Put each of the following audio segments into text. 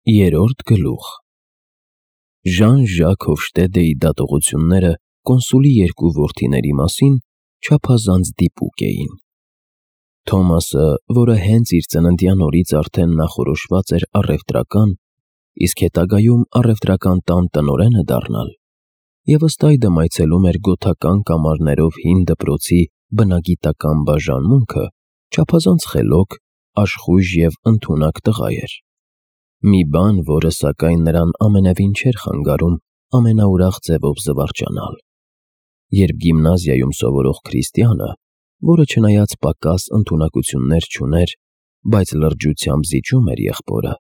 Երրորդ գլուխ Ժան-Ժակ Հոֆշտեդեի դատողությունները կոնսուլի երկու որդիների մասին չափազանց դիպուկ էին։ Թոմասը, որը հենց իր ծննդյան օրից արդեն նախորոշված էր առևտրական, իսկ հետագայում առևտրական տան տնօրենը դառնալ, և ըստ այդմ այցելում էր գոթական կամարներով հին դպրոցի բնագիտական բաժանմունքը, չափազանց խելոք, աշխույժ և ընդունակ տղա էր։ Մի բան, որը սակայն նրան ամենևին չէր խանգարում ամենաուրախ ձևով զվարճանալ։ Երբ գիմնազիայում սովորող քրիստյանը, որը չնայած պակաս ընդունակություններ չուներ, բայց լրջությամբ զիջում էր եղբորը,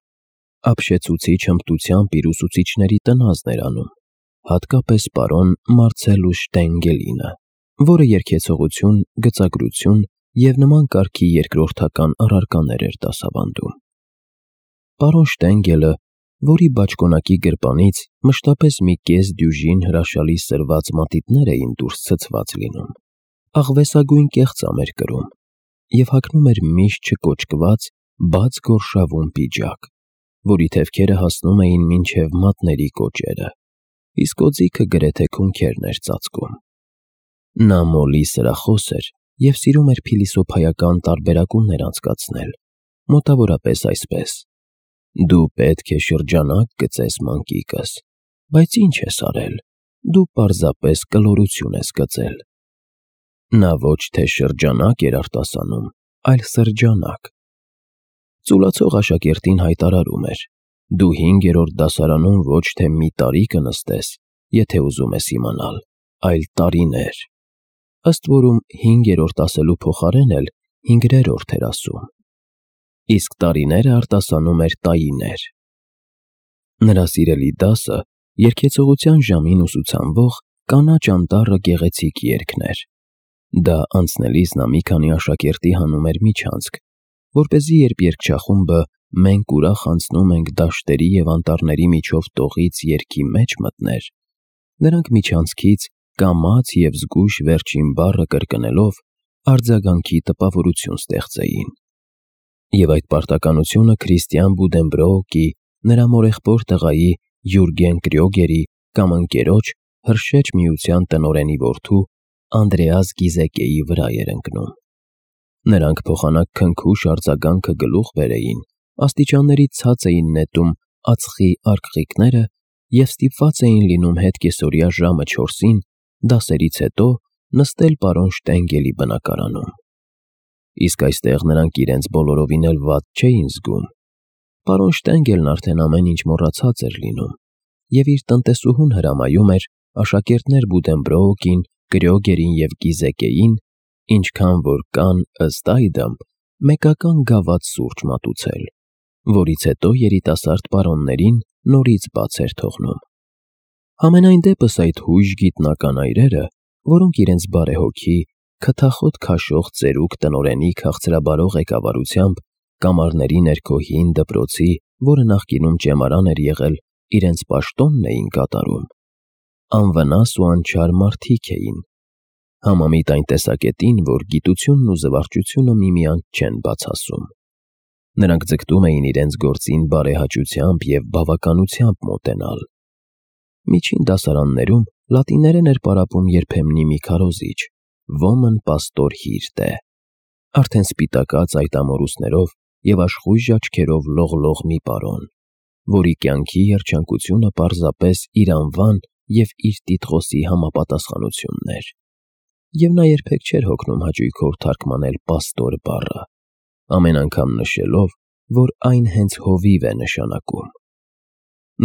ապշեցուցիչ հմտությամբ իր ուսուցիչների տնազն էր անում, հատկապես պարոն Մարցելուս Շտենգելինը, որը երգեցողություն, գծագրություն և նման կարգի երկրորդական առարկաներ էր դասավանդում։ Պարոն Շտենգելը, որի բաճկոնակի գրպանից մշտապես մի կես դյուժին հրաշալի սրված մատիտներ էին դուրս ցցված լինում, աղվեսագույն կեղծամ էր կրում և հագնում էր միշտ չկոճկված, բաց գորշավուն պիջակ, որի թևքերը հասնում էին մինչև մատների կոճերը, իսկ օձիքը գրեթե քունքերն էր ծածկում։ Նա մոլի սրախոս էր և սիրում էր փիլիսոփայական տարբերակումներ անցկացնել, մոտավորապես այսպես. «Դու պետք է շրջանակ գծես, մանկիկս, բայց ինչ ես արել, դու պարզապես կլորություն ես գծել»։ Նա ոչ թե շրջանակ էր արտասանում, այլ սրջանակ։ Ծուլացող աշակերտին հայտարարում էր. «Դու 5-րդ դասարանում ոչ թե մի տարի կնստես, եթե ուզում ես իմանալ, այլ տարիներ»։ Ըստ որում 5-րդ ասելու փոխարեն էլ 5-րդ էր ասում, իսկ տարիները արտասանում էր տայիներ։ Նրա սիրելի դասը երգեցողության ժամին ուսուցանվող «Կանաչ անտառը» գեղեցիկ երգն էր։ Դա անցնելիս նա մի քանի աշակերտի հանում էր միջանցք, որպեսզի երբ երգչախումբը «Մենք ուրախ անցնում ենք դաշտերի և անտառների միջով» տողից երգի մեջ մտներ, նրանք միջանցքից կամաց և զգույշ վերջին բառը կրկնելով արձագանքի տպավորություն ստեղծեին։ Եվ այդ պարտականությունը Քրիստիան Բուդենբրոուկի, նրա մորեղբոր տղայի Յուրգեն Կրյոգերի կամ ընկերոջ Հրշեջ միության տնօրենի որդու Անդրեաս Գիզեկեի վրա էր ընկնում։ Նրանք փոխանակ քնքուշ արձագանքը գլուխ բերեին, աստիճանների ցած էին նետում ածխի արկղիկները և ստիպված էին լինում հետկեսօրյա ժամը 4-ին դասերից հետո նստել պարոն Շտենգելի բնակարանում։ Իսկ այստեղ նրանք իրենց բոլորովին էլ վատ չէին զգում։ Պարոն Շտենգելն արդեն ամեն ինչ մոռացած էր լինում և իր տնտեսուհուն հրամայում էր աշակերտներ Բուդենբրոուկին, Կրյոգերին և Գիզեկեին, ինչքան որ կան, ըստ այդմ, մեկական գավաթ սուրճ մատուցել, որից հետո երիտասարդ պարոններին նորից բաց էր թողնում։ Համենայն դեպս այդ հույժ գիտնական այրերը, որոնք իրենց բարեհոգի, քթախոտ քաշող ծերուկ տնօրենի քաղցրաբարող ղեկավարությամբ կամարների ներքո հին դպրոցի, որը նախկինում ճեմարան էր եղել, իրենց պաշտոնն էին կատարում, անվնաս ու անչար մարդիկ էին, համամիտ այն տեսակետին, որ գիտությունն ու զվարճությունը միմյանց չեն բացասում։ Նրանք ձգտում էին իրենց գործին բարեհաճությամբ և բավականությամբ մոտենալ։ Միջին դասարաններում լատիներեն էր պարապում երբեմնի մի քարոզիչ, ոմն պաստոր Հիրտե, արդեն սպիտակած այդ ամորուսներով և աշխույժ աչքերով լողլող մի պարոն, որի կյանքի երջանկությունը պարզապես իր անվան և իր տիտղոսի համապատասխանությունն էր։ Եվ նա երբեք չէր հոգնում հաճույքով թարգմանել պաստոր բառը, ամեն անգամ նշելով, որ այն հենց հովիվ է նշանակում։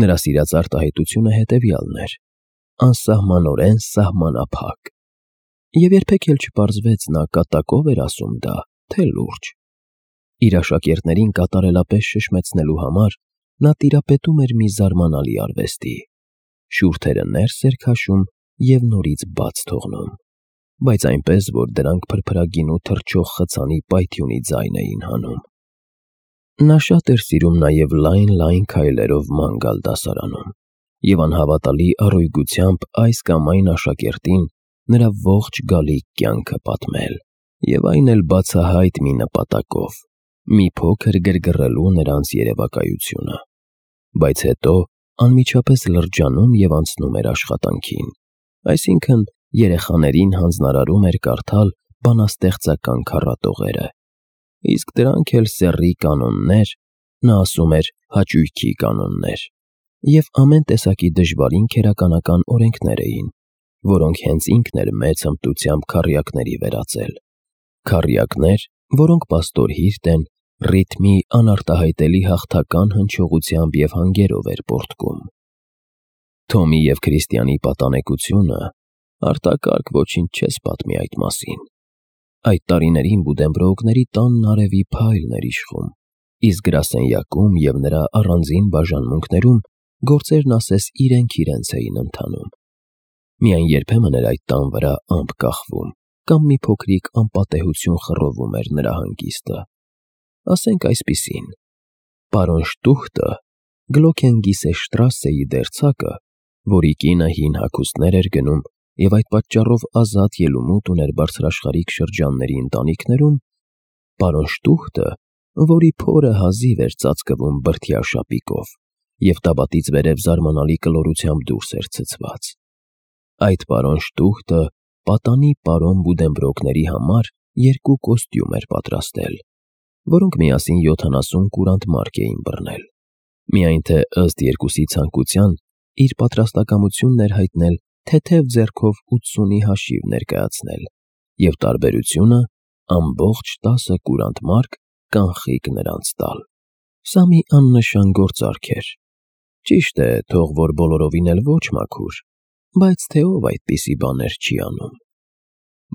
Նրա սիրած արտահայտությունը հետևյալն էր. անսահմանորեն սահմանափակ։ Եվ երբեք էլ չպարզվեց նա կատակով էր ասում դա, թե լուրջ։ Իր աշակերտներին կատարելապես շշմեցնելու համար նա տիրապետում էր մի զարմանալի արվեստի. շուրթերը ներս էր քաշում և նորից բաց թողնում, բայց այնպես, որ դրանք փրփրագինու թռչող խցանի պայթյունի ձայն էին հանում։ Նա շատ էր սիրում նաև լայն քայլերով ման գալ դասարանում և անհավատալի առօգյությամբ այս կամ այն աշակերտին նրա ողջ գալիք կյանքը պատմել, և այն էլ բացահայտ մի նպատակով՝ մի փոքր գրգռելու նրանց երևակայությունը։ բայց հետո անմիջապես լրջանում և անցնում էր աշխատանքին, այսինքն երեխաներին հանձնարարում էր կարդալ բանաստեղծական քառատողերը, իսկ դրանք էլ սեռի կանոններ, նա ասում էր հաճույքի կանոններ, և ամեն տեսակի դժվարին քերականական օրենքներ էին, որոնք հենց ինքն էր մեծ հմտությամբ քառյակների վերածել, քառյակներ, որոնք պաստորհիրտ են, ռիթմի անարտահայտելի հաղթական հնչողությամբ և հանգերով էր պոռթկում։ Թոմի և Քրիստիանի պատանեկությունը արտակարգ ոչինչ չես պատմի այդ մասին։ Այդ տարիներին Բուդենբրոուկների տանն արևի փայլն էր իշխում, իսկ գրասենյակում և նրա առանձին բաժանմունքներում գործերն ասես իրենք էին ընթանում։ Միայն երբեմն էր այդ տան վրա ամպ կախվում կամ մի փոքրիկ անպատեհություն խռովում էր նրա հանգիստը։ Ասենք այսպիսին. պարոն Շտուխտը Գլոքենգիսեշտրասեի դերձակը, որի կինը հին հագուստներ էր գնում և այդ պատճառով ազատ ելումուտ ուներ բարձրաշխարհիկ շրջանների ընտանիքներում, պարոն Շտուխտը, որի փորը հազիվ էր ծածկվում բրդյա շապիկով և տաբատից վերև զարմանալի կլորությամբ դուրս էր ցցված, այդ պարոն Շտուխտը պատանի պարոն Բուդենբրոկների համար 2 կոստյում էր պատրաստել, որոնք միասին 70 կուրանտ մարկ էին բռնել, միայն թե ըստ երկուսի ցանկության իր պատրաստակամությունն էր հայտնել թեթև ձեռքով 80-ի հաշիվ ներկայացնել և տարբերությունը ամբողջ 10 կուրանտ մարկ կանխիկ նրանց տալ։ Սա մի աննշան գործարք էր, ճիշտ է, թող որ բոլորովին էլ ոչ մաքուր, բայց թե ով այդպիսի բաներ չի անում։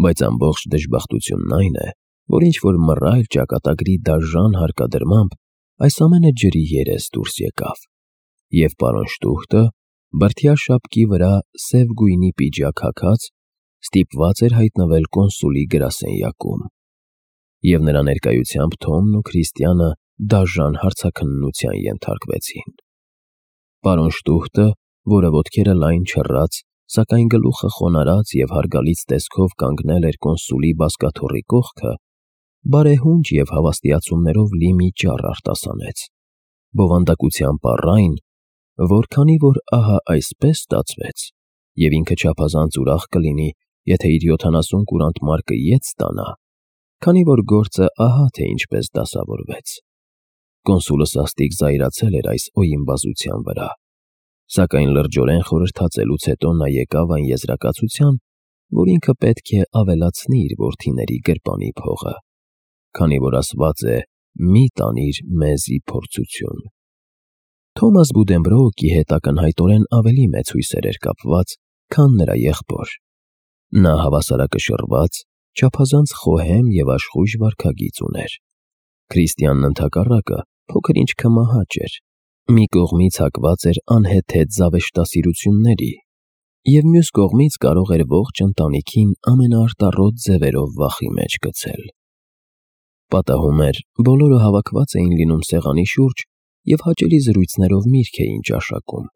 Բայց ամբողջ դժբախտությունն այն է, որ ինչ-որ մռայլ ճակատագրի դաժան հարկադրմամբ այս ամենը ջրի երես դուրս եկավ, և պարոն Շտուխտը, բրդյա շապկի վրա սև գույնի պիջակ հագած, ստիպված էր հայտնվել կոնսուլի գրասենյակում, և նրա ներկայությամբ Թոմն ու Քրիստիանը դաժան հարցաքննության ենթարկվեցին։ Պարոն Շտուխտը, որը ոտքերը լայն չռած, սակայն գլուխը խոնարհած և հարգալից տեսքով կանգնել էր կոնսուլի բազկաթոռի կողքը, բարեհունչ և հավաստիացումներով լի մի ճառ արտասանեց, բովանդակությամբ առ այն, որ քանի որ ահա այսպես ստացվեց, և ինքը չափազանց ուրախ կլինի, եթե իր 70 կուրանտ մարկը ետ ստանա, քանի որ գործը ահա թե ինչպես դասավորվեց։ Կոնսուլը սաստիկ զայրացել էր այս օյիմբազության վրա, սակայն լրջորեն խորհրդածելուց հետո նա եկավ այն եզրակացության, որ ինքը պետք է ավելացնի իր որդիների գրպանի փողը, քանի որ ասված է «Մի տանիր մեզի փորձություն»։ Թոմաս Բուդենբրոուկի հետ ակնհայտորեն ավելի մեծ հույսեր էր կապված, քան նրա եղբոր։ Նա հավասարակշռված, չափազանց խոհեմ և աշխույժ վարքագիծ ուներ։ Քրիստիանն ընդհակառակը փոքր-ինչ քմահաճ էր, մի կողմից հակված էր անհեթեթ զավեշտասիրությունների, և մյուս կողմից կարող էր ողջ ընտանիքին ամենաարտառոտ ձևերով վախի մեջ գցել։ Պատահում էր, բոլորը հավաքված էին լինում սեղանի շուրջ և հաճելի զրույցներով միրգ էին ճաշակում,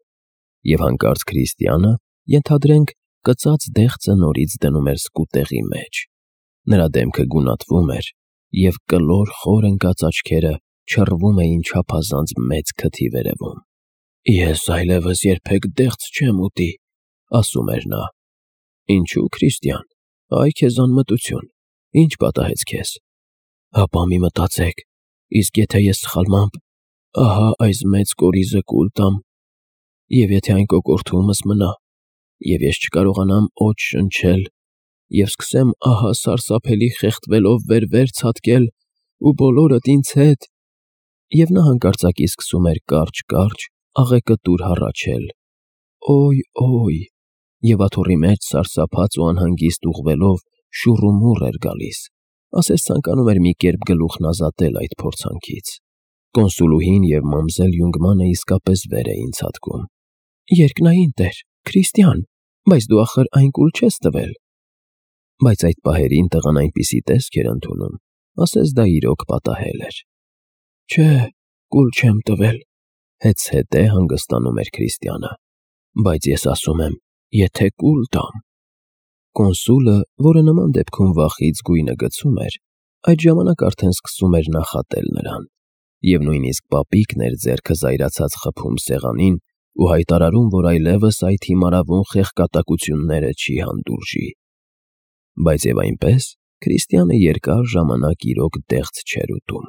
և հանկարծ Քրիստիանը, ենթադրենք, կծած դեղձը նորից դնում էր սկուտեղի մեջ, նրա դեմքը գունատվում էր, և կլոր խոր ընկած աչքերը չռվում էին չափազանց մեծ քթի վերևում։ «Ես այլևս երբեք դեղձ չեմ ուտի», ասում էր նա։ «Ինչու, Քրիստիան, այ քեզ անմտություն, ինչ պատահեց քեզ»։ «Հապա մի մտածեք, իսկ եթե ես սխալմամբ ահա այս մեծ կորիզը կուլ տամ, և եթե այն կոկորդումս մնա, և ես չկարողանամ օդ շնչել, և սկսեմ ահա սարսափելի խեղդվելով վեր-վեր ցատկել, ու բոլորդ ինձ հետ…» Եվ նա հանկարծակի սկսում էր կարճ-կարճ, աղեկտուր հառաչել. «Օյ, և աթոռի մեջ սարսափած ու անհանգիստ ուղղվելով շուռումուռ էր գալիս, ասես ցանկանում էր մի կերպ գլուխն ազատել այդ փորձանքից։ Կոնսուլուհին և մամզել Յունգմանը իսկապես վեր էին ցատկում։ «Երկնային Տեր, Քրիստիան, բայց դու ախր այն կուլ չես տվել»։ Բայց այդ պահերին տղան այնպիսի տեսք էր ընդունում, ասես դա իրոք պատահել էր։ «Չէ, կուլ չեմ տվել», հետզհետե հանգստանում էր Քրիստիանը, «բայց ես ասում եմ, եթե կուլ տամ…»։ Կոնսուլը, որը նման դեպքում վախից գույնը գցում էր, այդ ժամանակ արդեն սկսում էր նախատել նրան։ և նույնիսկ պապիկն էր ձեռքը զայրացած խփում սեղանին ու հայտարարում, որ այլևս այդ հիմարավուն խեղկատակությունները չի հանդուրժի։ Բայց և այնպես Քրիստիանը երկար ժամանակ իրոք դեղց չէր ուտում։